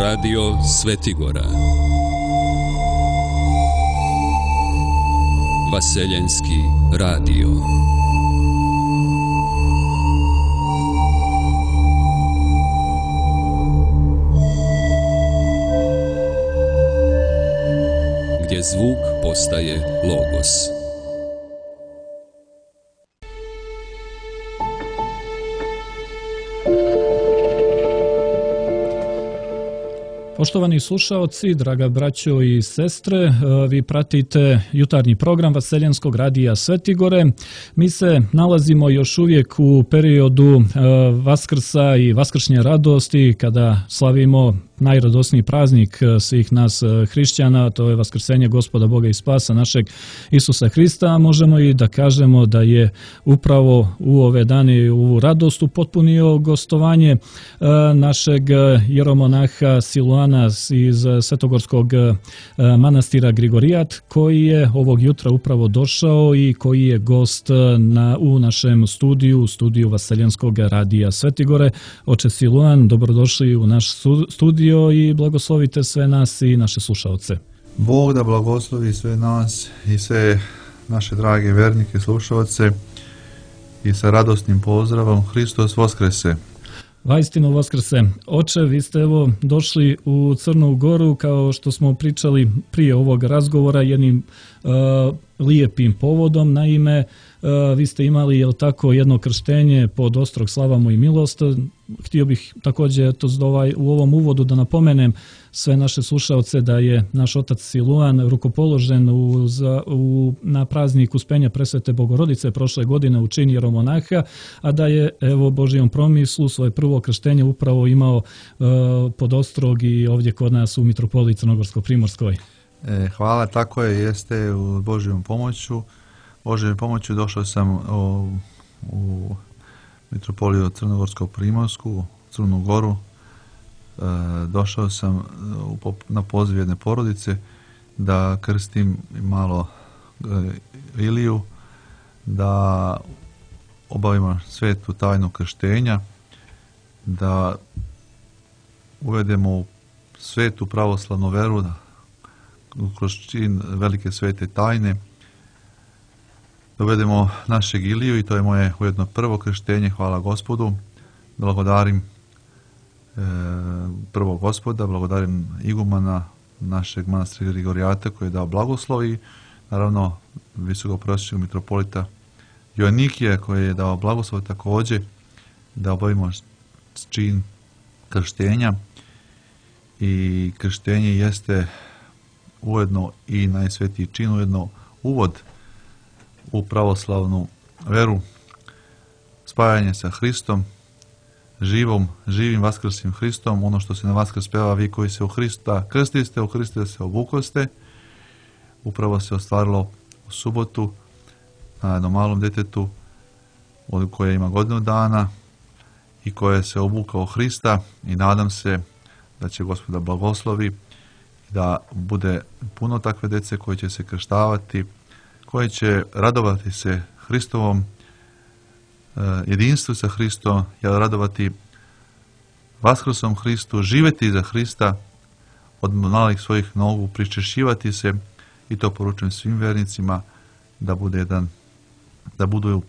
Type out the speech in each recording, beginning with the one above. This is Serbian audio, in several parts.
Radio Svetigora. Vaseljenski radio. Gdje zvuk postaje logos. Poštovani slušaoci, draga braćo i sestre, vi pratite jutarnji program Vaseljenskog radija Svetigore. Mi se nalazimo još uvijek u periodu Vaskrsa i vaskršnje radosti, kada slavimo najradosniji praznik svih nas hrišćana, to je Vaskrsenje Gospoda Boga i Spasa našeg Isusa Hrista. Možemo i da kažemo da je upravo u ove dane u radost upotpunio gostovanje našeg jeromonaha Siluana iz Svetogorskog manastira Grigorijat, koji je ovog jutra upravo došao i koji je gost u našem studiju Vaseljenskog radija Svetigore. Oče Siluan, dobrodošli u naš studio i blagoslovite sve nas i naše slušaoce. Bog da blagoslovi sve nas i sve naše drage vernike slušaoce i sa radosnim pozdravom Hristos Voskrese. Vaistinu Voskrese. Oče, vi ste evo došli u Crnu Goru, kao što smo pričali prije ovog razgovora, jednim lijepim povodom. Naime, vi ste imali, jel tako, jedno krštenje pod ostrog Slavamo i milost. Htio bih također u ovom uvodu da napomenem sve naše slušaoce da je naš otac Siluan rukopoložen na praznik Uspenja Presvete Bogorodice prošle godine u čin jeromonaha, a da je evo Božijom promislu svoje prvo krštenje upravo imao pod ostrog i ovdje kod nas u Mitropoliji Crnogorsko-Primorskoj. Hvala, tako je, jeste u Božijom pomoću došao sam u Mitropoliju Crnogorsko-Primorsku, Crnu Goru. Došao sam na poziv jedne porodice da krstim malo Iliju, da obavimo svetu tajnu krštenja, da uvedemo svetu pravoslavnu veru kroz čin velike svete tajne, dovedemo našeg Iliju, i to je moje ujedno prvo krštenje. Hvala Gospodu, blagodarim prvo Gospoda, blagodarim igumana našeg manastira Grigorijata koji je dao blagoslov, i naravno visokoprosječnog mitropolita Joannikija koji je dao blagoslov također da obavimo čin krštenja. I krštenje jeste ujedno i najsvetiji čin, ujedno uvod u pravoslavnu veru, spajanje sa Hristom, živim vaskrslim Hristom. Ono što se na Vaskrs peva, vi koji se u Hrista krstiste, u Hrista se obukoste, upravo se ostvarilo u subotu na jednom malom djetetu koje ima godinu dana i koje se obukao u Hrista, i nadam se da će Gospoda blagoslovi da bude puno takve djece koje će se krštavati, koje će radovati se Hristovom jedinstvu sa Hristom, radovati Vaskrsom Hristu, živjeti za Hrista, od malih svojih nogu pričešćivati se, i to poručujem svim vernicima da budu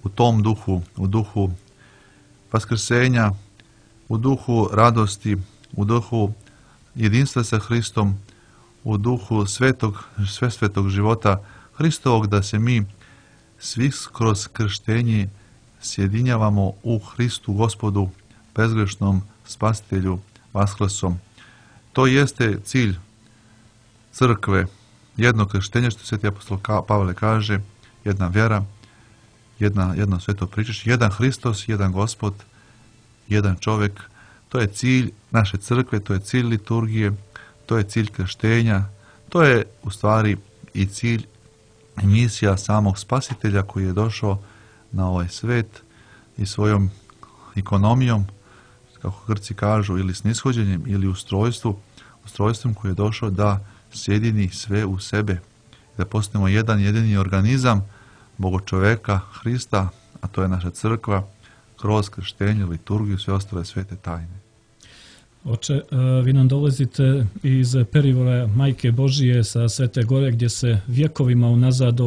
u tom duhu, u duhu vaskrsenja, u duhu radosti, u duhu jedinstva sa Hristom, u duhu svetog života Hristovog, da se mi svi kroz krštenje sjedinjavamo u Hristu Gospodu, bezgrešnom Spasitelju Vaskrsom. To jeste cilj crkve, jedno krštenje, što sveti apostol Pavle kaže, jedna vjera, jedno sveto pričešće, jedan Hristos, jedan Gospod, jedan čovjek. To je cilj naše crkve, to je cilj liturgije, to je cilj krštenja, to je u stvari i cilj i misija samog Spasitelja koji je došao na ovaj svet i svojom ekonomijom, kako Grci kažu, ili snishođenjem, ili ustrojstvom koji je došao da sjedini sve u sebe, da postanemo jedan jedini organizam Bogočoveka Hrista, a to je naša crkva, kroz krštenje, liturgiju, sve ostale svete tajne. Oče, vi nam dolazite iz perivora Majke Božije sa Svete Gore, gdje se vjekovima unazad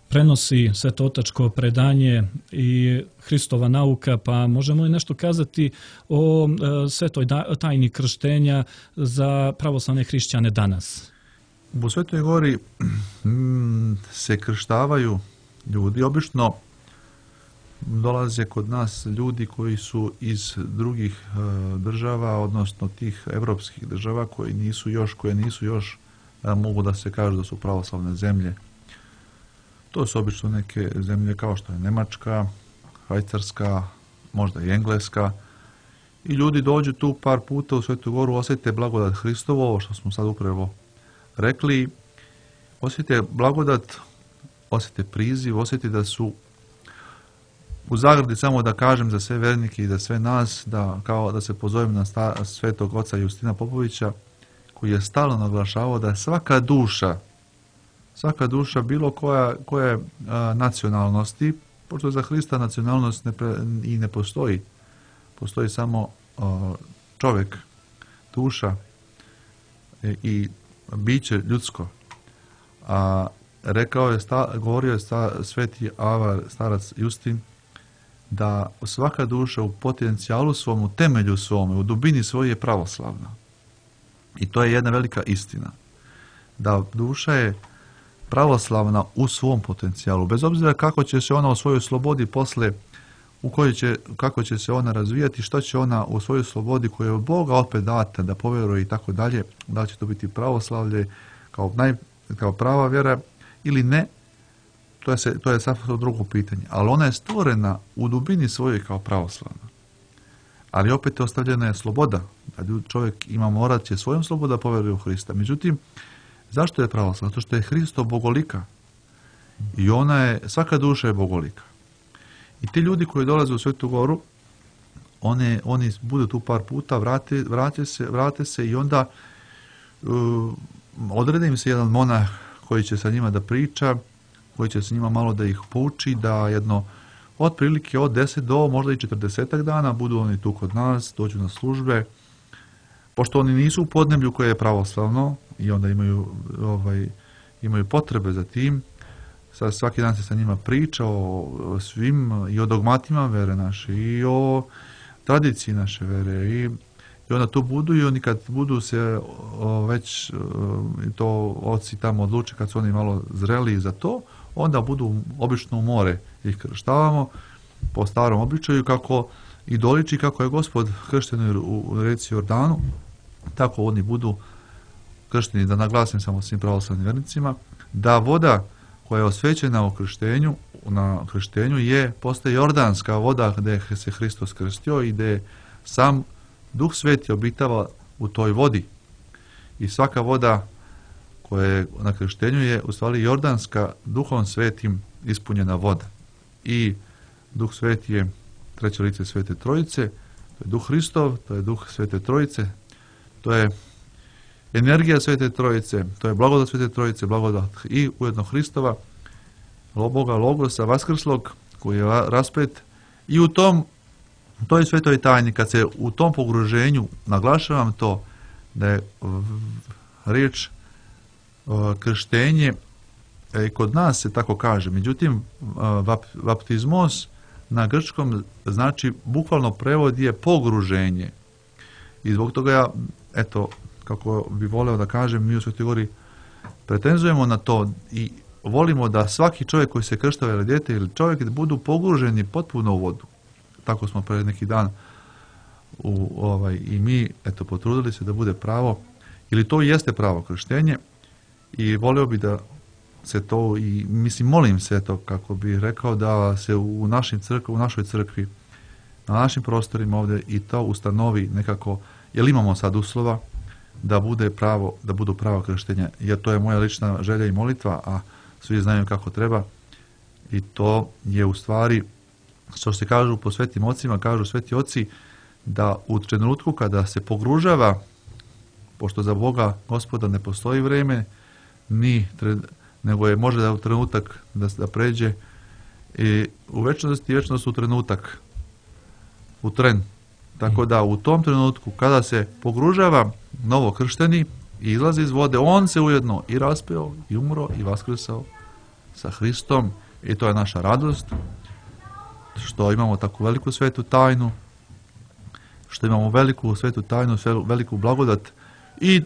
prenosi svetotačko predanje i Hristova nauka, pa možemo li nešto kazati o svetoj tajni krštenja za pravoslavne hrišćane danas? U Svetoj Gori se krštavaju ljudi, obično dolaze kod nas ljudi koji su iz drugih država, odnosno tih evropskih država koje nisu još mogu da se kažu da su pravoslavne zemlje. To su obično neke zemlje kao što je Njemačka, Švajcarska, možda i Engleska. I ljudi dođu tu par puta u Svetu Goru, osjete blagodat Hristovo, ovo što smo sad upravo rekli, osjete blagodat, osjete priziv, osjete da su u zagradi, samo da kažem za sve vernike i za sve nas, da se pozovem na svetog oca Justina Popovića, koji je stalno naglašavao da svaka duša bilo koje nacionalnosti, pošto za Hrista nacionalnost i ne postoji, postoji samo čovjek, duša i biće ljudsko. A govorio je sveti avar, starac Justin, da svaka duša u potencijalu svom, u temelju svome, u dubini svoje je pravoslavna. I to je jedna velika istina. Da duša je pravoslavna u svom potencijalu, bez obzira kako će se ona u svojoj slobodi posle, kako će se ona razvijati, što će ona u svojoj slobodi koju je od Boga opet data da povjeruje i tako dalje, da li će to biti pravoslavlje kao prava vjera ili ne, to je sasvim drugo pitanje. Ali ona je stvorena u dubini svojoj kao pravoslavna. Ali opet ostavljena je sloboda, da čovjek ima morat će svojom slobodom da povjeruje u Hrista. Međutim, zašto je pravoslavna? Zato što je Hristo bogolika. I svaka duša je bogolika. I ti ljudi koji dolaze u Svetu Goru, oni budu tu par puta, vrate se i onda odredi im se jedan monah koji će sa njima da priča, koji će sa njima malo da ih pouči, da otprilike od 10 do možda i 40 dana budu oni tu kod nas, dođu na službe, pošto oni nisu u podneblju koje je pravoslavno i onda imaju potrebe za tim. Svaki dan se sa njima priča o svim, i o dogmatima vere naše, i o tradiciji naše vere, i onda tu budu, i oni kad budu se već to oci tamo odluče, kad su oni malo zreli za to, onda budu obično u more ih krštavamo po starom običaju, kako i doliči kako je Gospod kršten u reci Jordanu, tako oni budu kršteni. Da naglasim samo svim pravoslavnim vernicima da voda koja je osvećena na krštenju postaje jordanska voda gdje se Hristos krstio i gdje sam Duh Sveti obitava u toj vodi. I svaka voda koja je na krštenju je u stvari jordanska, Duhom Svetim ispunjena voda. I Duh Sveti je treće lice Svete Trojice, to je Duh Hristov, to je Duh Svete Trojice, to je energija Svete Trojice, to je blagodat Svete Trojice, blagodat i ujedno Hristova, Boga Logosa, vaskrslog, koji je raspet. I u toj svetoj tajni, kad se u tom pogruženju, naglašavam to, da je riječ krštenje, kod nas se tako kaže, međutim, baptizmos na grčkom znači, bukvalno prevod je pogruženje. I zbog toga ja, kako bi voleo da kažem, mi u Svetoj Gori pretenzujemo na to i volimo da svaki čovjek koji se krštava ili dijete ili čovjek budu pogruženi potpuno u vodu. Tako smo pred neki dan i mi potrudili se da bude pravo, ili to jeste pravo krštenje, i volio bi da se to, i molim se kako bi rekao, da se u našoj crkvi, na našim prostorima ovdje i to ustanovi nekako, jer imamo sad uslova da budu pravo krštenja, jer to je moja lična želja i molitva, a svi znaju kako treba, i to je u stvari, što se kažu po svetim ocima, kažu sveti oci, da u trenutku kada se pogružava, pošto za Boga Gospoda ne postoji vreme, nego je može da u trenutak da pređe, i u večnosti u trenutak, u tren, Tako da u tom trenutku kada se pogružava novokršteni i izlazi iz vode, on se ujedno i raspeo, i umro, i vaskrsao sa Hristom. I to je naša radost, što imamo takvu veliku svetu tajnu, što imamo veliku svetu tajnu, veliku blagodat i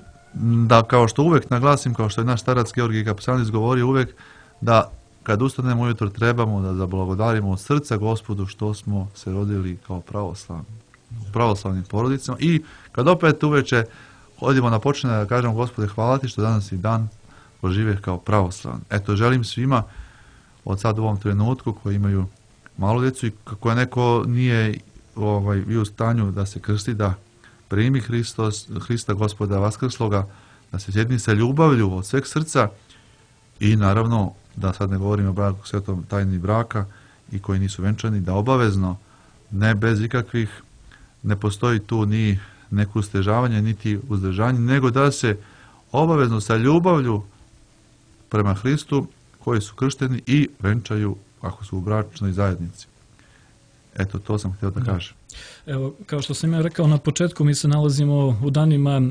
da, kao što uvek naglasim, kao što je naš starac Georgij Kapsanis govorio uvek, da kad ustanemo ujutro trebamo da zablagodarimo od srca Gospodu što smo se rodili kao pravoslavnim porodicama i kad opet uveče odimo na počinje da kažemo Gospode hvala ti što danas i dan požive kao pravoslavni. Eto, želim svima od sad u ovom trenutku koji imaju malu djecu i kako je neko nije bio u stanju da se krsti, da primi Hrista Gospoda Vaskrsloga, da se sjedni sa ljubavlju od sveg srca i naravno da sad ne govorimo o braku svetom tajni braka i koji nisu venčani, da obavezno, ne bez ikakvih, ne postoji tu ni neko ustežavanje, niti uzdržanje, nego da se obavezno sa ljubavlju prema Hristu koji su kršteni i venčaju ako su u bračnoj zajednici. Eto, to sam htio da kažem. Evo, kao što sam ja rekao na početku, mi se nalazimo u danima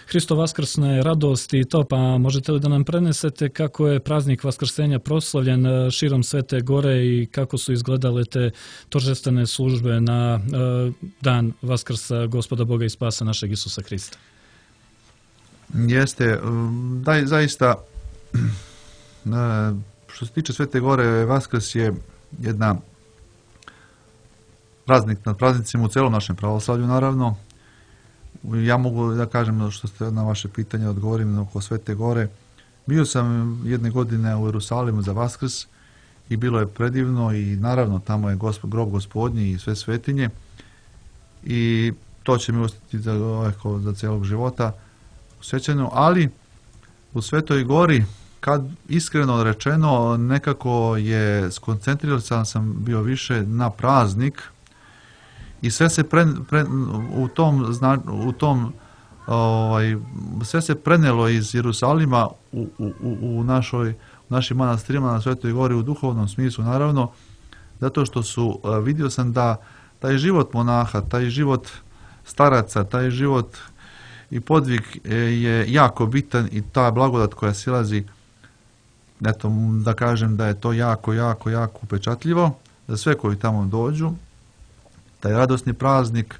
Hristo vaskrsne radosti i to, pa možete li da nam prenesete kako je praznik Vaskrsenja proslavljen širom Svete Gore i kako su izgledale te торжествene službe na dan Vaskrsa Gospoda Boga i Spasa našeg Isusa Hrista? Jeste, da, zaista, što se tiče Svete Gore, Vaskrs je jedna praznik nad praznicima u celom našem pravoslavlju, naravno. Ja mogu da kažem, što ste na vaše pitanje odgovorim oko Svete Gore. Bio sam jedne godine u Jerusalimu za Vaskrs i bilo je predivno i naravno tamo je grob Gospodnji i sve svetinje i to će mi ostati za celog života u sjećanju, ali u Svetoj Gori, kad iskreno rečeno, nekako je skoncentriran sam bio više na praznik i sve se sve se prenelo iz Jerusalima u našim manastirima na Svetoj Gori u duhovnom smislu, naravno, zato što vidio sam da taj život monaha, taj život staraca, taj život i podvig je jako bitan i ta blagodat koja silazi, eto, da kažem da je to jako, jako, jako upečatljivo za sve koji tamo dođu. Taj radosni praznik,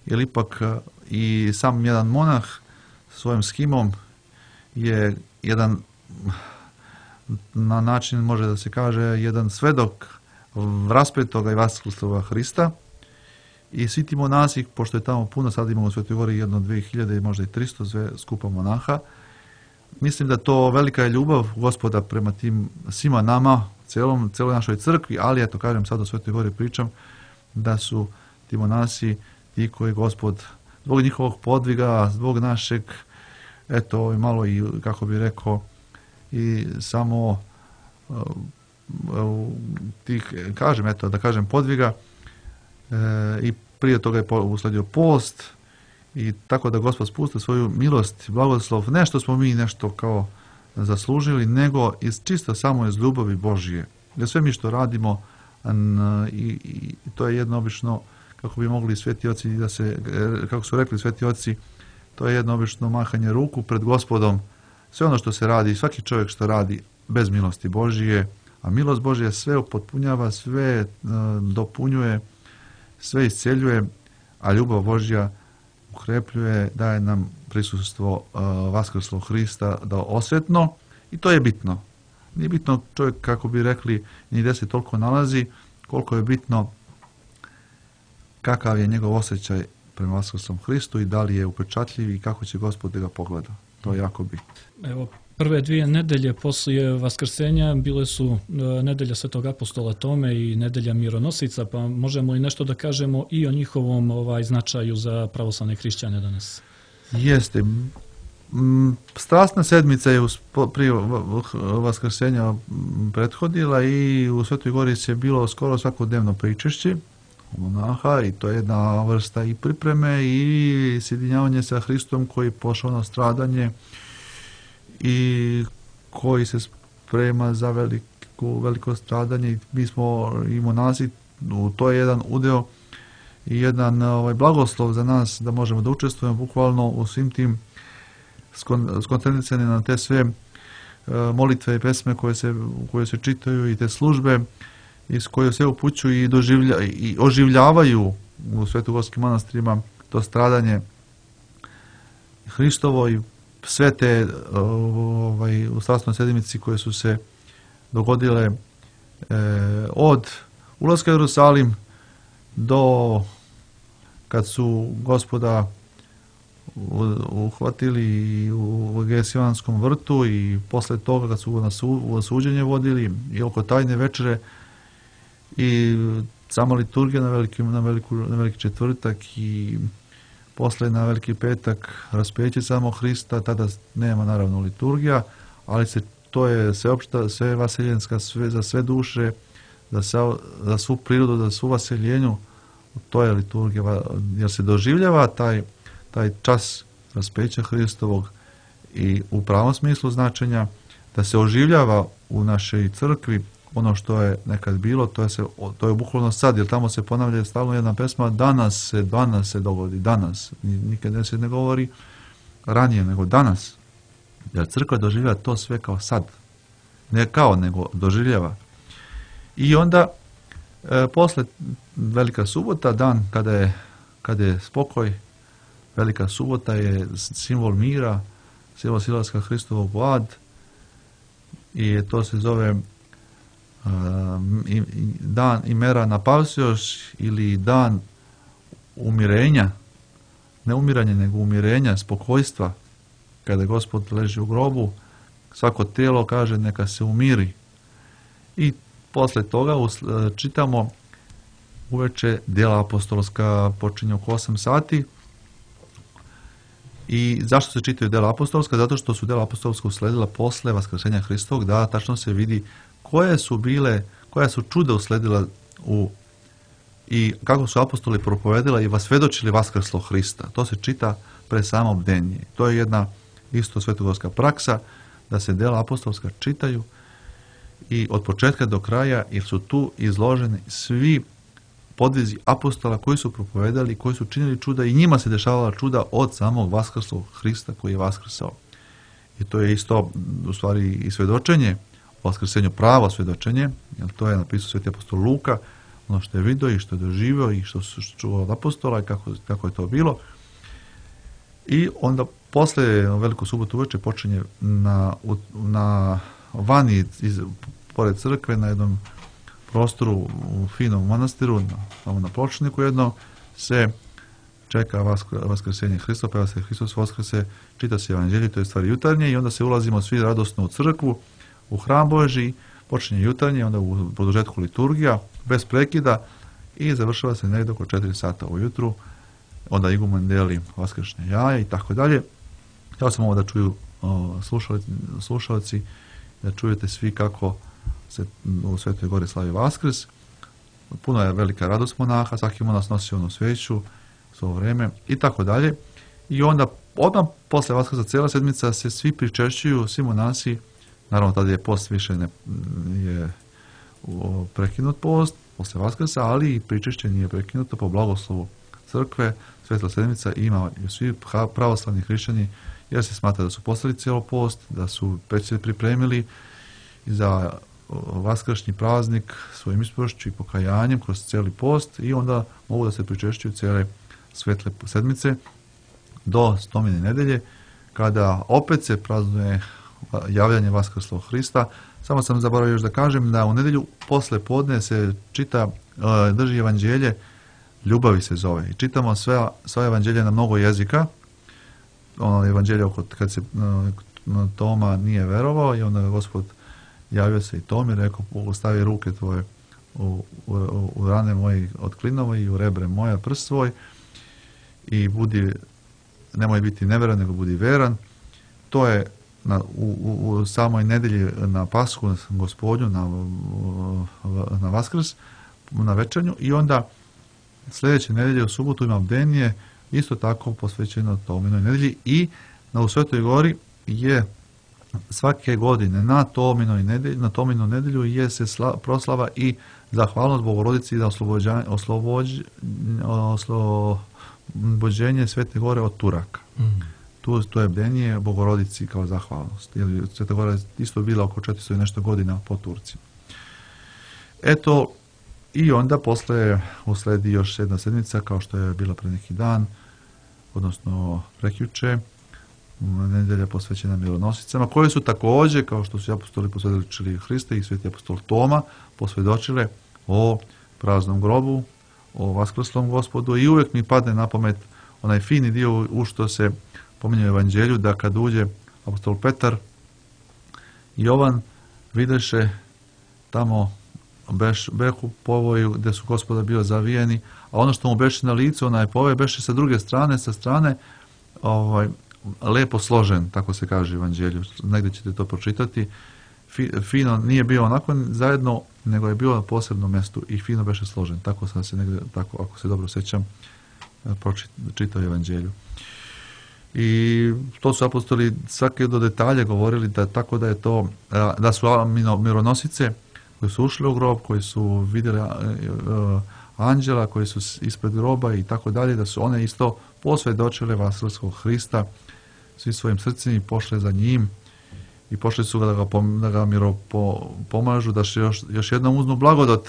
jer ipak i sam jedan monah svojim schimom je jedan, na način može da se kaže, jedan svedok raspetoga i vaskrsloga Hrista. I svi ti monasi, pošto je tamo puno, sad imamo u Svetoj Gori 2000 i možda i 300 skupa monaha, mislim da to velika je ljubav Gospoda prema tim svima nama, celoj našoj crkvi, ali eto, kažem, sad o Svetoj Gori pričam, da su ti monasi ti koji Gospod, zbog njihovog podviga, zbog našeg, eto, malo i, kako bi rekao, i samo tih, kažem, eto, da kažem, podviga, i prije toga je usledio post i tako da Gospod spusti svoju milost, blagoslov, ne što smo mi nešto kao zaslužili, nego čisto samo iz ljubavi Božije. Jer sve mi što radimo, i to je jedno obično, kako bi mogli sveti oci da se, kako su rekli sveti oci, to je jedno obično mahanje ruku pred Gospodom. Sve ono što se radi, svaki čovjek što radi bez milosti Božije, a milost Božija sve upotpunjava, sve dopunjuje, sve isceljuje, a ljubav Božja ukrepljuje, daje nam prisustvo vaskrslog Hrista da osvetno, i to je bitno. Nije bitno čovjek, kako bi rekli, ni gdje se toliko nalazi, koliko je bitno kakav je njegov osjećaj prema vaskrslom Hristu i da li je upečatljiv i kako će Gospod da ga pogleda. To je jako bitno. Evo, prve 2 nedelje poslije Vaskrsenja bile su nedelja Svetog apostola Tome i nedelja mironosica, pa možemo li nešto da kažemo i o njihovom značaju za pravoslavne hrišćane danas? Jeste. Strasna sedmica je prije Vaskrsenja prethodila i u Svetoj Gori je bilo skoro svakodnevno pričešće monaha i to je jedna vrsta i pripreme i sjedinjavanje sa Hristom koji je pošao na stradanje i koji se sprema za veliko stradanje. Mi smo i monasi, to je jedan udeo i jedan blagoslov za nas da možemo da učestvujemo bukvalno u svim tim skoncentricani na te sve molitve i pesme koje se čitaju i te službe iz koje se upućuju i oživljavaju u svetogorskim manastirima to stradanje Hristovo i sve te u strasnoj sedmici koje su se dogodile od ulaska u Jerusalim do kad su Gospoda uhvatili u Gesimanskom vrtu i posle toga kad su na suđenje vodili i oko tajne večere i sama liturgija na veliki četvrtak i posle na veliki petak raspeće samo Hrista, tada nema naravno liturgija, ali to je sveopšta, sve vaseljenska, za sve duše, za svu prirodu, za svu vaseljenju, to je liturgija, jer se doživljava taj čas raspeća Hristovog i u pravom smislu značenja da se oživljava u našoj crkvi ono što je nekad bilo, to je bukvalno sad, jer tamo se ponavlja stalno jedna pesma, danas se dogodi, danas. Nikad se ne govori ranije, nego danas. Jer crkva doživljava to sve kao sad. Ne kao, nego doživljava. I onda, posle Velika subota, dan kada je spokoj, Velika subota je simbol mira, simbol silaska Hristovog u ad i to se zove dan imera na Pavsioš ili dan umirenja, ne umiranja nego umirenja, spokojstva, kada Gospod leži u grobu, svako tijelo kaže neka se umiri. I posle toga čitamo uveče djela apostolska, počinje oko 8 sati. I zašto se čitaju djela apostolska? Zato što su djela apostolska usledila posle vaskrsenja Hristovog, da tačno se vidi koja su čuda usledila i kako su apostoli propovedila i vasvedočili vaskrslog Hrista. To se čita pre samo bdenje. To je jedna isto svetogorska praksa, da se djela apostolska čitaju i od početka do kraja, jer su tu izloženi svi podvizi apostola koji su propovedali, koji su činili čuda i njima se dešavala čuda od samog vaskrslog Hrista koji je vaskrsao. I to je isto u stvari i svedočenje o vaskrsenju, pravo svedočenje, jer to je napisao sveti apostol Luka, ono što je vidio i što je doživio i što su čuo od apostola i kako je to bilo. I onda posle Veliku subotu uveče počinje na vani pored crkve na jednom prostoru u finom manastiru, tamo na pločniku jedno, se čeka vaskrsenje Hristova, peva se Hristos vaskrse, čita se evanđelje, to je stvari jutarnje i onda se ulazimo svi radosno u crkvu, u hram Božji, počinje jutarnje, onda u produžetku liturgija, bez prekida i završava se negdje oko 4 sata ujutru, onda igumen deli vaskršnje jaje i tako dalje. Htio sam ovo da čuju slušalci, da čujete svi kako se u Svetoj Gori slavi Vaskrs. Puno je velika radost monaha, svaki monas nosi onu sveću svo vreme i tako dalje. I onda odmah posle Vaskrsa cijela sedmica se svi pričešćuju, svi monasi, naravno tada je post više je prekinut post posle Vaskrsa, ali i pričešće nije prekinuto po blagoslovu crkve. Svetla sedmica ima svi pravoslavni hrišćani, jer se smatra da su postali cijelo post, da su već se pripremili za vaskršnji praznik svojim ispovešću i pokajanjem kroz cijeli post i onda mogu da se pričešćuju cijele svetle sedmice do Stomine nedelje, kada opet se praznuje javljanje vaskrslog Hrista. Samo sam zaboravio još da kažem da u nedjelju posle podne se drži evanđelje, ljubavi se zove. I čitamo sva evanđelja na mnogo jezika. Ono evanđelje kad se Toma nije verovao i onda Gospod javio se i Tomi, rekao, stavi ruke tvoje u rane moje od klinova i u rebre moja prst svoj i nemoj biti neveran, nego budi veran. To je u samoj nedelji na Pashu, Gospodnju, na Vaskrs, na večernju i onda sljedeće nedelje u subotu ima bdenje, isto tako posvećeno Tominoj nedelji i u Svetoj Gori je svake godine na Tominu nedjelju je se proslava i zahvalnost Bogorodici za oslobođenje Svete Gore od Turaka. To je bdenje Bogorodici kao zahvalnost. Jer Sveta Gora je isto bila oko 400 i nešto godina po Turcima. Eto, i onda posle usledi još jedna sedmica, kao što je bila pre neki dan, odnosno prekjuče, nedelja posvećena mironosicama, koje su također, kao što su apostoli posvjedočili Hrista i sveti apostol Toma, posvjedočile o praznom grobu, o vaskrslom Gospodu, i uvijek mi padne na pamet onaj fini dio u što se pominje u Evanđelju, da kad uđe apostol Petar i Jovan, videše tamo behu povoju gdje su Gospoda bio zavijeni, a ono što mu beše na licu, onaj povoj beše sa druge strane, sa strane lepo složen, tako se kaže u Evanđelju. Negdje ćete to pročitati. Fino nije bio onako zajedno, nego je bio na posebnom mjestu i fino beše složen. Tako sam se negdje, tako, ako se dobro sjećam, čitao Evanđelju. I to su apostoli svake do detalje govorili, da tako da je to, da su mironosice koji su ušli u grob, koji su vidjeli anđela, koji su ispred groba i tako dalje, da su one isto posvjedočile vaskrslog Hrista svi svojim srcima i pošle za njim i pošli su da ga pomažu, da se još jednom uznu blagodat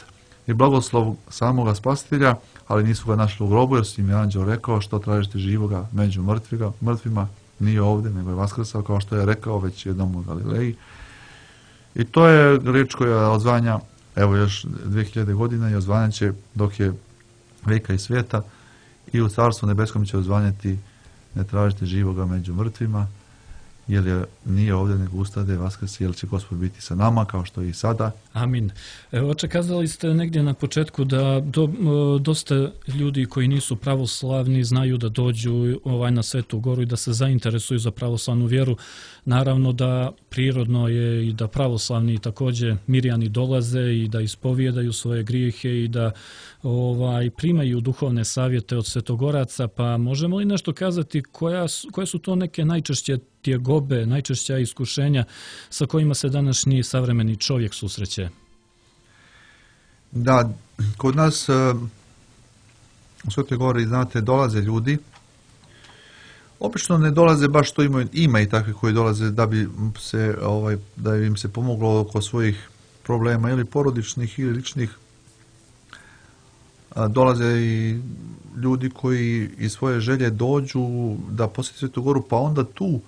i blagoslov samoga Spasitelja, ali nisu ga našli u grobu, jer su im je anđel rekao: što tražite živoga među mrtvima, nije ovdje, nego je vaskrsao, kao što je rekao već jednom u Galileji. I to je riječ koja odzvanja, evo još 2000 godina, i odzvanjat će dok je vijeka i svijeta, i u Carstvu nebeskom će odzvanjati: ne tražite živoga među mrtvima, jer nije ovdje, nego ustade vaskrsi, jer će Gospod biti sa nama, kao što je i sada. Amin. Evo, oče, kazali ste negdje na početku da dosta ljudi koji nisu pravoslavni znaju da dođu na Svetu Goru i da se zainteresuju za pravoslavnu vjeru. Naravno da prirodno je i da pravoslavni također mirjani dolaze i da ispovijedaju svoje grijehe i da primaju duhovne savjete od svetogoraca, pa možemo li nešto kazati koje su to neke najčešće tjegobe, najčešća iskušenja sa kojima se današnji savremeni čovjek susreće? Da, kod nas u Svetoj Gori, znate, dolaze ljudi. Obično ne dolaze baš što ima i takvi koji dolaze da bi se da im se pomoglo oko svojih problema ili porodičnih ili ličnih. Dolaze i ljudi koji iz svoje želje dođu da posjeti Svetu Goru, pa onda tu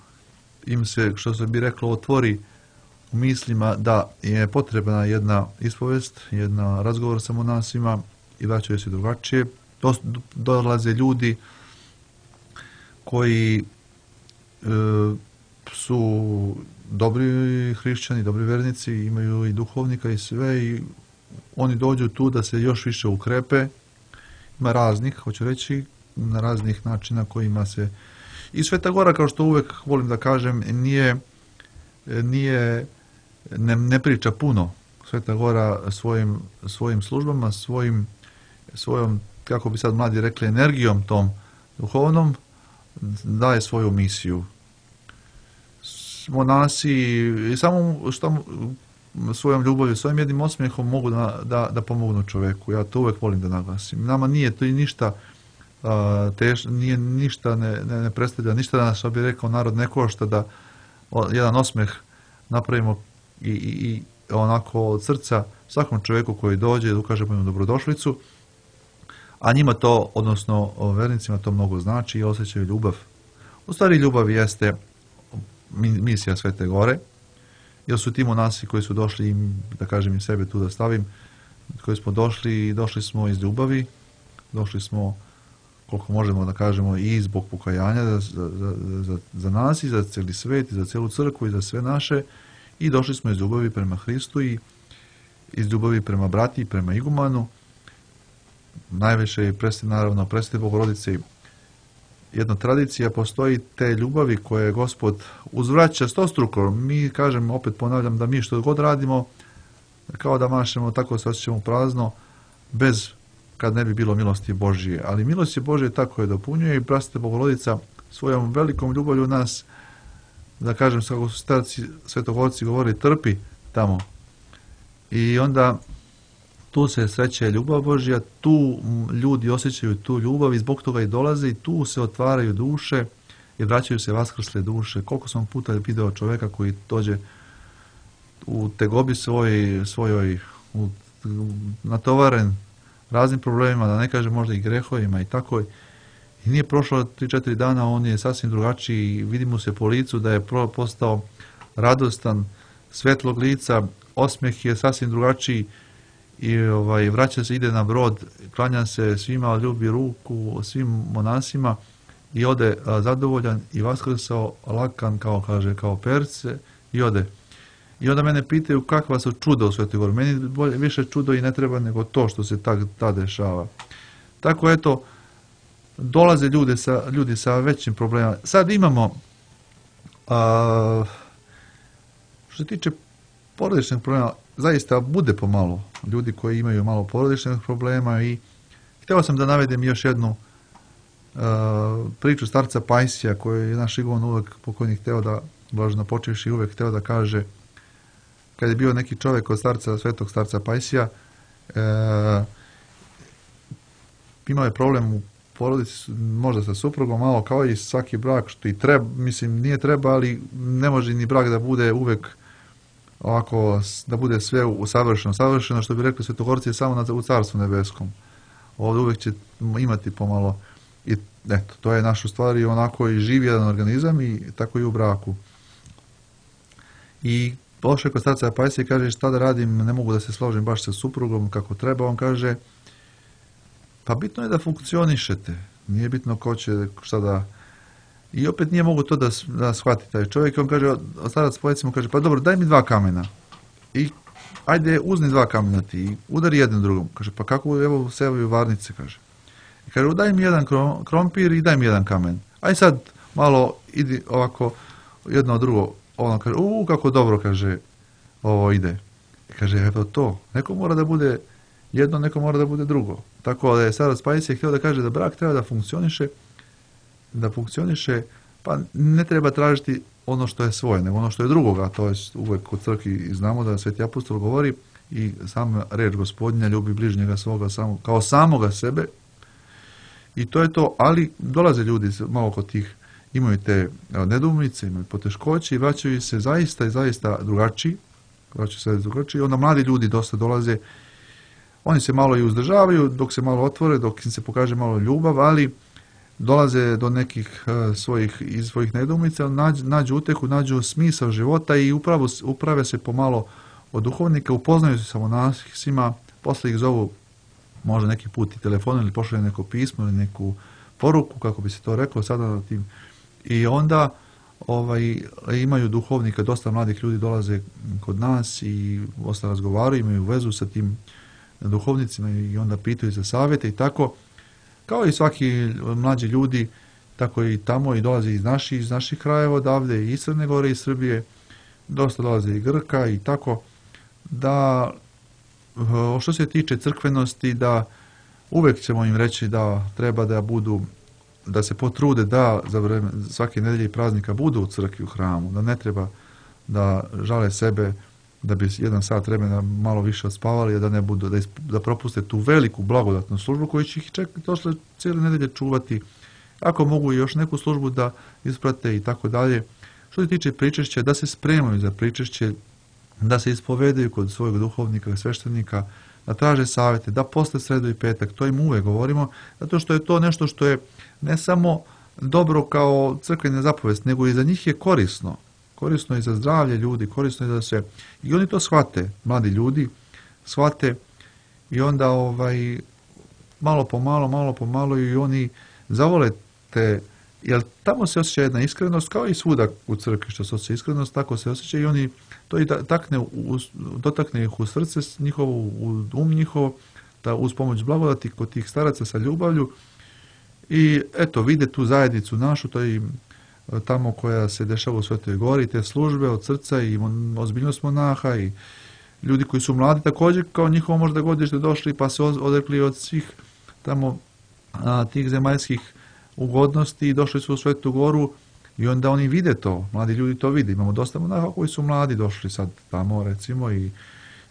im se, što se bi reklo, otvori u mislima da je potrebna jedna ispovest, jedna razgovor sa monasima i vraćaju se drugačije. Dolaze ljudi koji su dobri hrišćani, dobri vernici, imaju i duhovnika i sve, i oni dođu tu da se još više ukrepe. Ima raznih, hoću reći, na raznih načina kojima se... I Sveta Gora, kao što uvek volim da kažem, ne priča puno. Sveta Gora svojim službama, svojom, kako bi sad mladi rekli, energijom tom duhovnom, daje svoju misiju. Monasi i samo što svojom ljubavlju, svojim jednim osmijehom mogu da pomognu čovjeku. Ja to uvijek volim da naglasim. Nama nije to i ništa nije ništa, ne predstavlja ništa da nas, što bi rekao narod, ne košta da jedan osmijeh napravimo i onako od srca svakom čovjeku koji dođe, da ukažemo im dobrodošlicu, a njima to, odnosno vernicima, to mnogo znači i osjećaju ljubav. U stvari ljubav jeste misija Svete Gore, jer su ti monasi koji su došli, da kažem i sebe tu da stavim, koji smo došli smo iz ljubavi, došli smo, koliko možemo da kažemo, i zbog pokajanja za nas i za cijeli svet i za cijelu crkvu i za sve naše, i došli smo iz ljubavi prema Hristu i iz ljubavi prema brati i prema igumanu. Najviše je naravno predstav Bogorodice. Jedna tradicija postoji te ljubavi koje Gospod uzvraća stostruko. Mi, kažem, opet ponavljam, da mi što god radimo, kao da mašemo, tako se osjećamo prazno, bez kad ne bi bilo milosti Božije. Ali milost je Božije tako je dopunjuje, i prasveta Bogorodica svojom velikom ljubavlju nas da kažem, kako su starci svetogorci govorili, trpi tamo. I onda tu se sreće ljubav Božja, tu ljudi osjećaju tu ljubav i zbog toga i dolaze i tu se otvaraju duše i vraćaju se vaskrsle duše. Koliko sam puta video čovjeka koji dođe u tegobi svojoj natovaren raznim problemima, da ne kažem možda i grehovima i tako. I nije prošlo 3-4 dana, on je sasvim drugačiji i vidi mu se po licu da je postao radostan, svetlog lica, osmijeh je sasvim drugačiji i vraća se, ide na brod, klanja se svima, ljubi ruku svim monasima i ode zadovoljan i vaskrsao lakan kao perce i ode. I onda mene pitaju kakva su čuda u Svetoj Gori. Meni više čudo i ne treba nego to što se tad dešava. Tako eto, dolaze ljudi sa većim problemima. Sad imamo, što se tiče porodičnih problema, zaista bude pomalo ljudi koji imaju malo porodičnih problema i htio sam da navedem još jednu priču starca Pajsija koju je naš Igon uvek pokojnik hteo da, blažno počevši, uvek hteo da kaže kad je bio neki čovjek od svetog starca Pajsija, imao je problem u porodici, možda sa suprugom, malo kao i svaki brak, što i treba, mislim, nije treba, ali ne može ni brak da bude uvek ovako, da bude sve savršeno, što bi rekli svetogorci je samo u Carstvu nebeskom. Ovdje uvek će imati pomalo, i eto, to je naš u stvari onako i živ jedan organizam i tako i u braku. I pošao kod starca Pajsija i kaže šta da radim, ne mogu da se složim baš sa suprugom kako treba. On kaže, pa bitno je da funkcionišete, nije bitno ko će šta da... I opet nije mogu to da shvati taj čovjek. On kaže, starac Pajsija mu kaže, pa dobro, daj mi 2 kamena. I ajde, uzni 2 kamena ti i udari jedan drugom. Kaže, pa kako, evo sevaju varnice, kaže. I kaže, daj mi 1 krompir i daj mi 1 kamen. Aj sad malo idi ovako jedno drugo. On kaže, kako dobro, kaže, ovo ide. I kaže, evo to, neko mora da bude jedno, neko mora da bude drugo. Tako da je starac Pajsija htio da kaže da brak treba da funkcioniše, pa ne treba tražiti ono što je svoje, nego ono što je drugoga. To je uvek u crkvi znamo da Sveti apostol govori i sama reč Gospodnja, ljubi bližnjega svoga kao samoga sebe. I to je to, ali dolaze ljudi malo kod tih, imaju te nedoumice, imaju poteškoće i vraćaju se zaista drugačiji. Onda mladi ljudi dosta dolaze, oni se malo i uzdržavaju dok se malo otvore, dok im se pokaže malo ljubav, ali dolaze do nekih svojih nedoumica, nađu utehu, nađu smisao života i uprave se pomalo od duhovnika, upoznaju se sa monasima, posle ih zovu možda neki put i telefon ili pošalju neko pismo ili neku poruku, kako bi se to reklo sada na tim. I onda imaju duhovnika, dosta mladih ljudi dolaze kod nas i dosta razgovaraju, imaju vezu sa tim duhovnicima i onda pitaju za savjete i tako. Kao i svaki mlađi ljudi, tako i tamo i dolaze iz naših krajeva odavde, i iz Crne Gore, i Srbije, dosta dolaze i Grka i tako, da što se tiče crkvenosti, da uvek ćemo im reći da treba da budu, da se potrude da za vreme svake nedelje i praznika budu u crkvi, u hramu, da ne treba da žale sebe, da bi 1 sat vremena malo više odspavali, da ne budu, da propuste tu veliku blagodatnu službu koju će ih došle cijele nedelje čuvati, ako mogu i još neku službu da isprate i tako dalje. Što se tiče pričešća, da se spremaju za pričešće, da se ispovedaju kod svojeg duhovnika, sveštenika, da traže savjete, da posle sredu i petak, to im uvek govorimo, zato što je to nešto što je ne samo dobro kao crkvena zapovest, nego i za njih je korisno. Korisno je za zdravlje ljudi, korisno je da se... I oni to shvate, mladi ljudi, shvate i onda malo po malo i oni zavole te... Jer tamo se osjeća jedna iskrenost, kao i svuda u crkvi što se osjeća iskrenost, tako se osjeća i oni to i dotakne ih u srce njihovo, u njihov, da uz pomoć blagodati kod tih staraca sa ljubavlju i eto, vide tu zajednicu našu, to je tamo koja se dešava u Svetoj Gori, te službe od srca i ozbiljnost monaha i ljudi koji su mladi također kao njihovo možda godište došli pa se odrekli od svih tamo tih zemaljskih ugodnosti i došli su u Svetu Goru I onda oni vide to, mladi ljudi to vide. Imamo dosta monaha koji su mladi došli sad tamo, recimo, i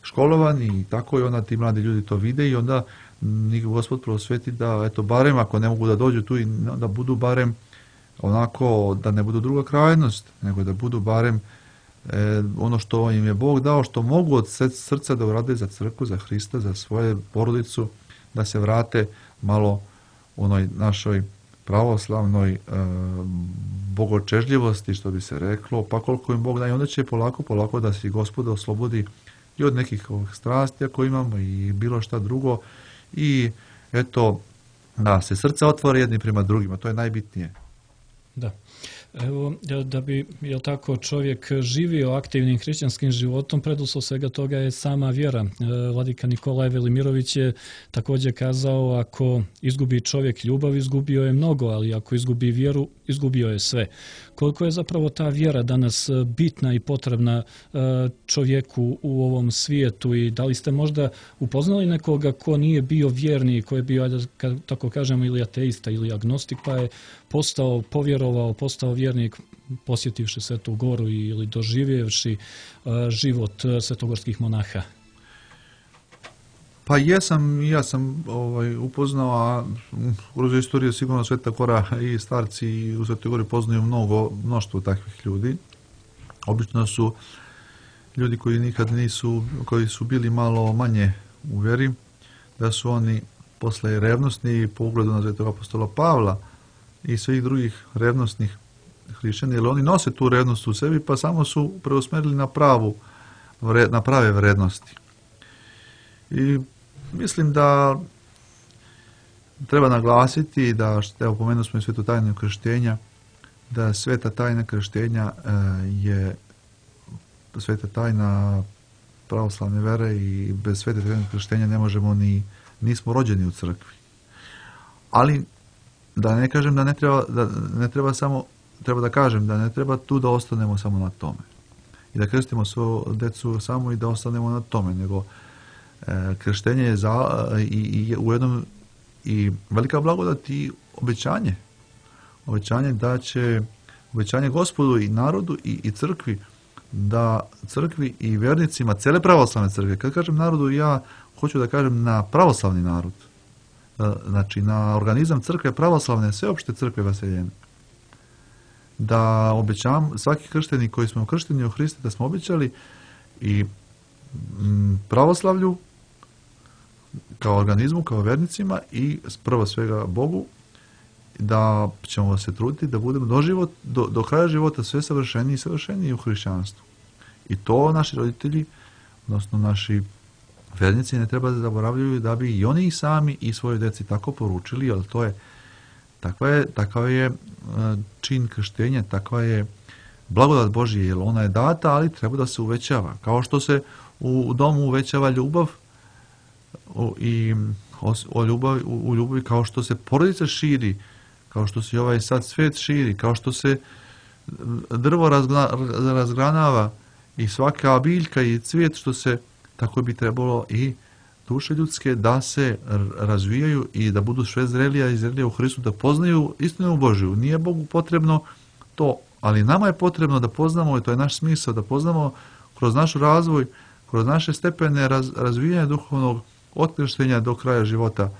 školovani i tako, i onda ti mladi ljudi to vide i onda njih Gospod prosveti da, eto, barem ako ne mogu da dođu tu, i da budu barem onako, da ne budu druga krajnost, nego da budu barem ono što im je Bog dao, što mogu od srca da urade za crkvu, za Hrista, za svoju porodicu, da se vrate malo onoj našoj pravoslavnoj bogočežljivosti, što bi se reklo, pa koliko im Bog daje, onda će polako da se Gospod oslobodi i od nekih ovih strasti ako imamo i bilo šta drugo, i eto, da se srca otvore jedni prema drugima, to je najbitnije. Da. Evo, da bi, jel tako, čovjek živio aktivnim hrišćanskim životom, preduslov svega toga je sama vjera. Vladika Nikolaj Velimirović je također kazao, ako izgubi čovjek ljubav, izgubio je mnogo, ali ako izgubi vjeru, izgubio je sve. Koliko je zapravo ta vjera danas bitna i potrebna čovjeku u ovom svijetu, i da li ste možda upoznali nekoga ko nije bio vjernik, ko je bio, tako kažemo, ili ateista ili agnostik, pa je povjerovao, postao vjernik posjetivši Svetu Goru ili doživjevši život svetogorskih monaha? Pa ja sam upoznao, a kroz istoriju sigurno Sveta Gora i starci i u Svetoj Gori poznaju mnoštvo takvih ljudi. Obično su ljudi koji nikad nisu, koji su bili malo manje u vjeri, da su oni posle revnosni po ugledu na Svetog apostola Pavla i svih drugih revnosnih hrišćana, jer oni nose tu revnost u sebi, pa samo su preusmerili na prave vrednosti. I mislim da treba naglasiti da, evo, pomenuli smo i svetu tajnu krštenja, da sveta tajna krštenja je sveta tajna pravoslavne vere i bez svete tajne krštenja ne možemo nismo rođeni u crkvi. Ali da ne kažem da treba da kažem da ne treba tu da ostanemo samo na tome i da krstimo svoju decu samo i da ostanemo na tome, nego krštenje je ujedno i velika blagodat i obećanje da će, obećanje Gospodu i narodu i crkvi, da crkvi i vjernicima cele pravoslavne crkve, kad kažem narodu, ja hoću da kažem na pravoslavni narod, znači na organizam crkve pravoslavne, sveopšte crkve vaseljene, da obećam svaki kršteni koji smo kršteni u Hriste, da smo obećali i pravoslavlju kao organizmu, kao vernicima i prvo svega Bogu, da ćemo se truditi da budemo do kraja života sve savršeniji i savršeniji u hrišćanstvu. I to naši roditelji, odnosno naši vernici, ne treba da zaboravljaju, da bi i oni sami i svoje deci tako poručili, jer to je takav je čin krštenja, takva je blagodat Božje, jer ona je data, ali treba da se uvećava. Kao što se u domu uvećava ljubav u ljubavi, kao što se porodica širi, kao što se ovaj sad svet širi, kao što se drvo razgranava i svaka biljka i cvijet, što se, tako bi trebalo i duše ljudske da se razvijaju i da budu sve zrelija i zrelija u Hristu, da poznaju istinu Božju. Nije Bogu potrebno to, ali nama je potrebno da poznamo, i to je naš smisao, da poznamo kroz naš razvoj, kroz naše stepene razvijanja duhovnog od krštenja do kraja života,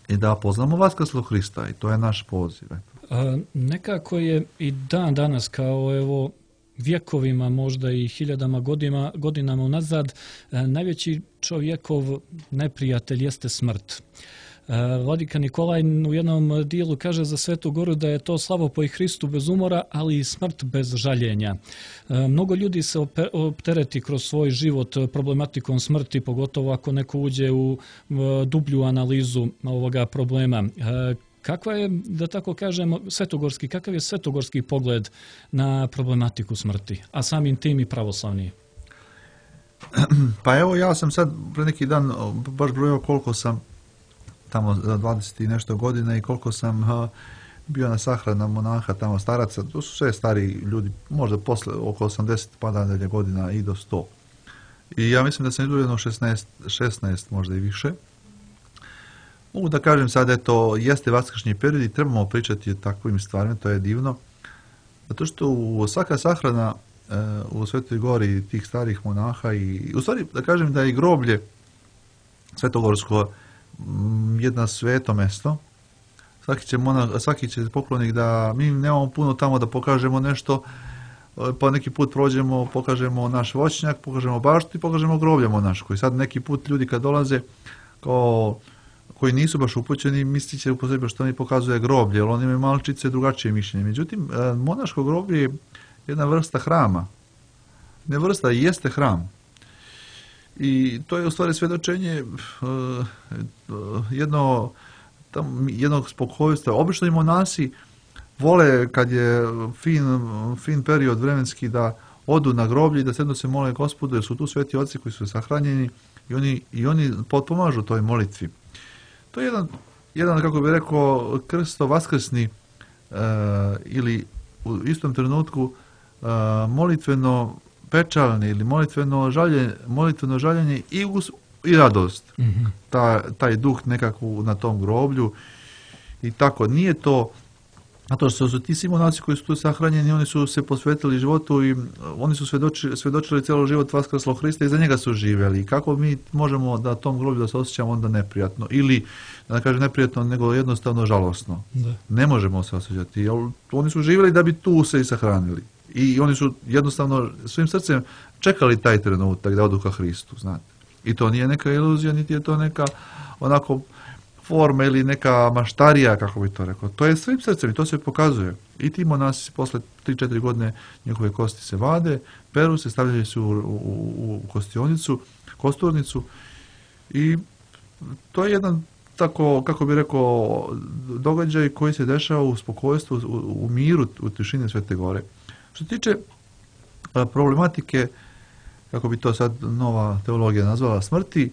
i da poznamo vaskrslog Hrista, i to je naš poziv. Nekako je i dan danas, kao evo vjekovima, možda i hiljadama godinama unazad, najveći čovjekov neprijatelj jeste smrt. Vladika Nikolaj u jednom dijelu kaže za Svetu Goru da je to slavopoj Hristu bez umora, ali i smrt bez žaljenja. Mnogo ljudi se optereti kroz svoj život problematikom smrti, pogotovo ako neko uđe u dublju analizu ovoga problema. Kakva je, da tako kažemo, kakav je svetogorski pogled na problematiku smrti, a samim tim i pravoslavni? Pa evo, ja sam sad pre neki dan baš brojao koliko sam tamo 20 i nešto godina i koliko sam bio na sahrana monaha tamo, staraca, to su sve stari ljudi, možda posle oko 80 pa nadalje godina i do 100. I ja mislim da sam izgledao 16 možda i više. Mogu da kažem sad, eto, jeste vaskršnji period i trebamo pričati o takvim stvarima, to je divno, Zato što svaka sahrana u Svetoj Gori tih starih monaha i u stvari da kažem da je i groblje svetogorsko jedno sveto mesto. Svaki će poklonik da mi nemamo puno tamo da pokažemo nešto, pa neki put prođemo, pokažemo naš voćnjak, pokažemo baštu i pokažemo groblje monaško. I sad neki put ljudi kad dolaze koji nisu baš upućeni, mislit će po sebi što mi pokazuje groblje, jer oni imaju malčice drugačije mišljenje. Međutim, monaško groblje je jedna vrsta hrama. Ne vrsta, jeste hram. I to je u stvari svjedočenje jednog spokojstva. Obično i monasi vole kad je fin period vremenski da odu na groblje i da sedno se mole Gospodu, jer su tu sveti oci koji su sahranjeni i oni potpomažu toj molitvi. To je jedan kako bi rekao, krsto vaskrsni ili u istom trenutku molitveno pečalni ili molitveno žaljenje i radost. Mm-hmm. Taj duh nekako na tom groblju i tako. Nije to zato što su ti svi monaci koji su tu sahranjeni, oni su se posvetili životu i oni su svjedočili cijelo život vaskrslog Hrista i za njega su živjeli. I kako mi možemo da tom groblju da se osjećamo onda neprijatno ili, da ne kažem neprijatno, nego jednostavno žalosno. Da. Ne možemo se osjećati. Jer oni su živjeli da bi tu se i sahranili. I oni su jednostavno svojim srcem čekali taj trenutak da odu ka Hristu, znate. I to nije neka iluzija, niti je to neka onako forma ili neka maštarija, kako bi to rekao. To je svojim srcem i to se pokazuje. I ti monasi posle 3-4 godine njihove kosti se vade, peru se, stavljaju se u kosturnicu i to je jedan tako, kako bi rekao, događaj koji se dešava u spokojstvu, u miru, u tišini Svete Gore. Što se tiče problematike, kako bi to sad nova teologija nazvala, smrti,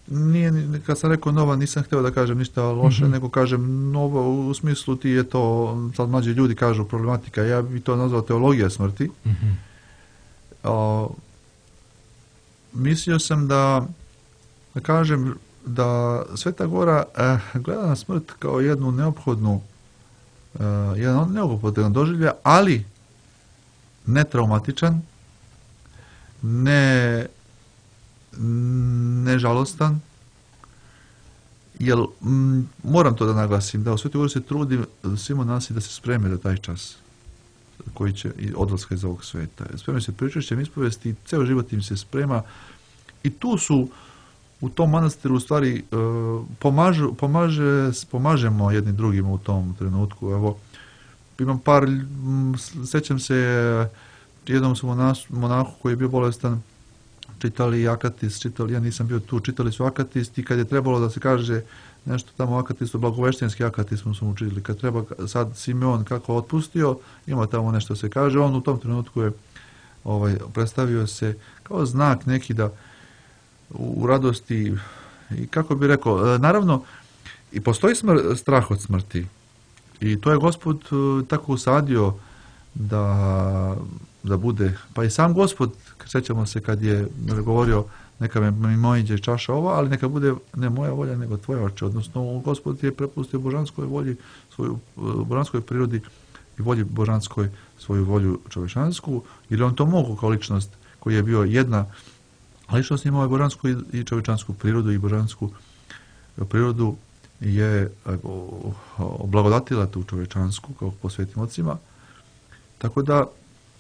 nije, kad sam rekao nova, nisam htio da kažem ništa loše, mm-hmm. nego kažem nova u smislu ti je to, sad mlađi ljudi kažu problematika, ja bi to nazvao teologija smrti. Mm-hmm. Mislio sam da kažem da Sveta Gora gleda na smrt kao jednu neophodnu, jedan neophodan doživlja, ali ne traumatičan, ne žalostan, jer moram to da naglasim, da u Svetoj Gori se trudi svi monasi da se spreme za taj čas koji će odlaska iz ovog sveta. Spremaju se pričešćem ispovesti, ceo život im se sprema i tu su u tom manastiru u stvari pomažemo jedni drugima u tom trenutku. Evo, imam sećam se jednom su monahu koji je bio bolestan, čitali Akatis, ja nisam bio tu, čitali su Akatis i kad je trebalo da se kaže nešto tamo Akatisu, blagoveštenski Akatis smo učili, kad treba sad Simeon kako otpustio, ima tamo nešto se kaže, on u tom trenutku je predstavio se kao znak neki da u radosti i kako bi rekao, naravno i postoji strah od smrti i to je Gospod tako usadio da bude, pa i sam Gospod, sjećamo se kad je govorio neka mi mojiđe čaša ova, ali neka bude ne moja volja nego tvoja, oče, odnosno Gospod je prepustio božanskoj volji, svoju božanskoj prirodi i volji božanskoj svoju volju čovječansku, jer on to mogu kao ličnost koji je bio jedna ličnost imao je božansku i čovječansku prirodu i božansku prirodu je oblagodatila tu čovječansku kao po svetim ocima, tako da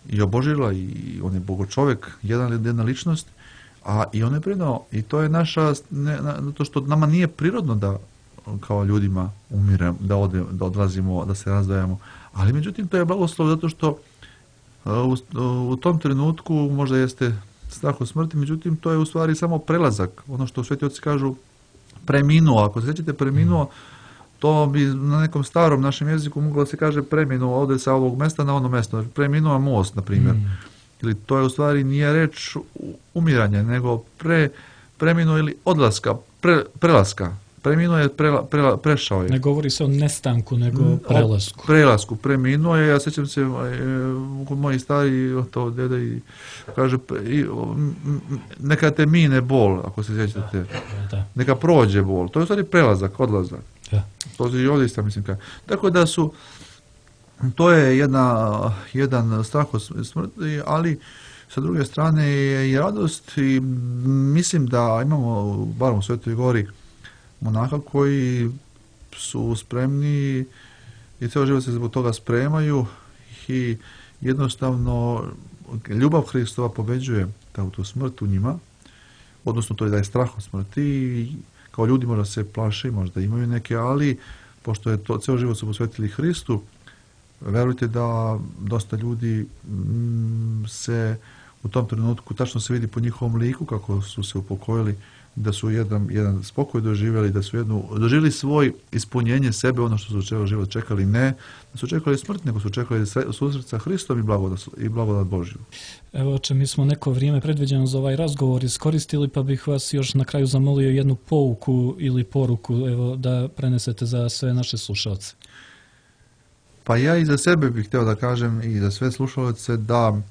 i obožila i on je bogočovjek, jedna ličnost, a i on je prinao i to je naša, zato što nama nije prirodno da kao ljudima umiremo, da odlazimo, da se razdvajamo, ali međutim to je blagoslov zato što u tom trenutku možda jeste strah od smrti, međutim to je u stvari samo prelazak, ono što sveti oci kažu preminuo, ako se sjećate preminuo, to bi na nekom starom našem jeziku moglo da se kaže preminuo, ode sa ovog mesta na ono mesto, preminuo most, na primjer. Ili to je u stvari nije reč umiranja, nego preminuo ili odlaska, prelaska. Preminuo je, prešao je. Ne govori se o nestanku, nego prelasku. Prelasku, preminuo je, ja sjećam se, kod moji stari, to deda i kaže, neka te mine bol, ako se sjećate. Da. Neka prođe bol. To je u stvari prelazak, odlazak. Da. To je i ovdje isto, mislim. Tako da su To je jedan strah od smrti, ali sa druge strane je i radost i mislim da imamo, bar u Svetoj Gori, monaha koji su spremni i cijelo život se zbog toga spremaju i jednostavno ljubav Hristova pobeđuje tu smrt u njima, odnosno to je da je strah od smrti i kao ljudi možda se plaše, možda imaju neke, ali pošto je to cijelo život su posvetili Hristu, verujte da dosta ljudi se u tom trenutku, tačno se vidi po njihovom liku kako su se upokojili, da su jedan spokoj doživjeli, da su doživjeli svoj ispunjenje sebe, ono što su cijelo život čekali, ne da su čekali smrt, nego su čekali susret sa Hristom i blagodat Božju. Evo, oče, mi smo neko vrijeme predviđeno za ovaj razgovor iskoristili, pa bih vas još na kraju zamolio jednu pouku ili poruku, evo, da prenesete za sve naše slušalce. Pa ja i za sebe bih htio da kažem i za sve slušalce da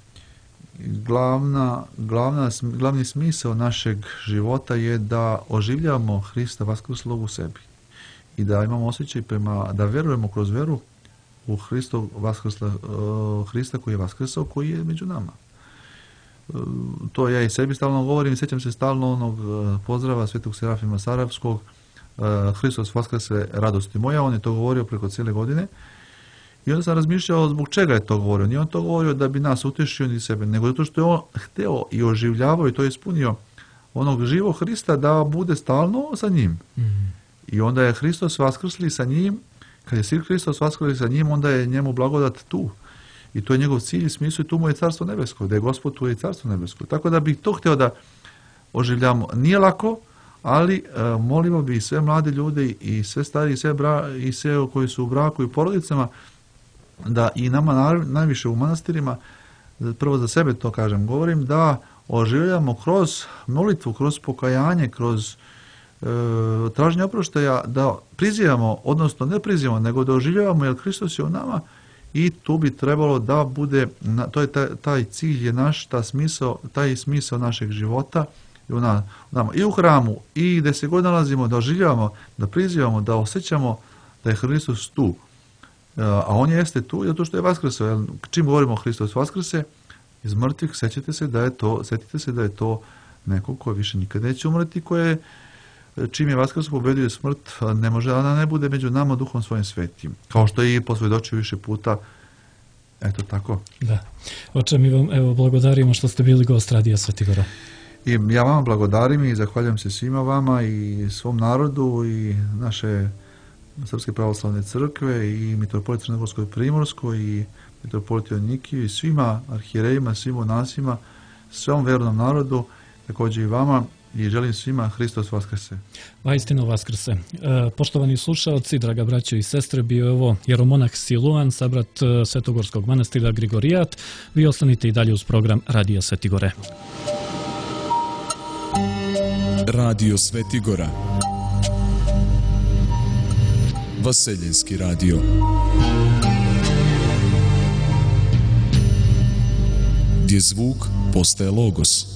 glavni smisao našeg života je da oživljavamo Hrista vaskrslog u sebi i da imamo osjećaj da verujemo kroz veru u Hrista koji je vaskrsao, koji je među nama. To ja i sebi stalno govorim, sjećam se stalno onog pozdrava Svetog Serafima Sarajevskog, Hristos vaskrse, radosti moja, on je to govorio preko cijele godine. I onda sam razmišljao zbog čega je to govorio. Nije on to govorio da bi nas utješio ni sebe, nego zato što je on hteo i oživljavao i to je ispunio onog živog Hrista da bude stalno sa njim. I onda je Hristos vaskrsli sa njim, kad je sin Hristos vaskrsli sa njim, onda je njemu blagodat tu. I to je njegov cilj i smisao i tu mu je Carstvo nebesko, da je Gospod tu je Carstvo nebesko. Tako da bih to htio da oživljamo. Nije lako, ali molimo bi sve mlade ljude i sve stariji i sve koji su u braku i porodicama, da i nama najviše u manastirima, prvo za sebe to kažem, govorim, da oživljamo kroz molitvu, kroz pokajanje, kroz traženje oproštaja, da prizivamo, odnosno ne prizivamo, nego da oživljavamo, jer Hristos je u nama i tu bi trebalo da bude, to je taj cilj je naš, taj smisao našeg života u nama, i u hramu, i gdje se god nalazimo, da oživljavamo, da prizivamo, da osjećamo da je Hristos tu. A on jeste tu zato što je vaskrsao. Čim govorimo o Hristos vaskrse iz mrtvih, sjetite se da je to neko ko više nikad neće umreti, koje čim je vaskrsao pobedio smrt, ne može da ne bude među nama Duhom svojim svetim. Kao što je i posvjedočio više puta. Eto tako. Da. Oče, mi vam blagodarimo što ste bili gost Radija Svetigora. I ja vama blagodarim i zahvaljujem se svima vama i svom narodu i naše Srpske pravoslavne crkve i mitropolita Crnogorskoj Primorskoj i mitropolita Nikiju i svima arhijerejima, svim monasima, svom vernom narodu, također i vama, i želim svima Hristos vaskrse. Vaistino vaskrse. Poštovani slušalci, draga braćo i sestre, bio je ovo jeromonah Siluan, sabrat Svetogorskog manastira Grigorijat. Vi ostanite i dalje uz program Radija Svetigore. Radio Svetigora. Vaseljenski radio. Gdje zvuk postaje logos.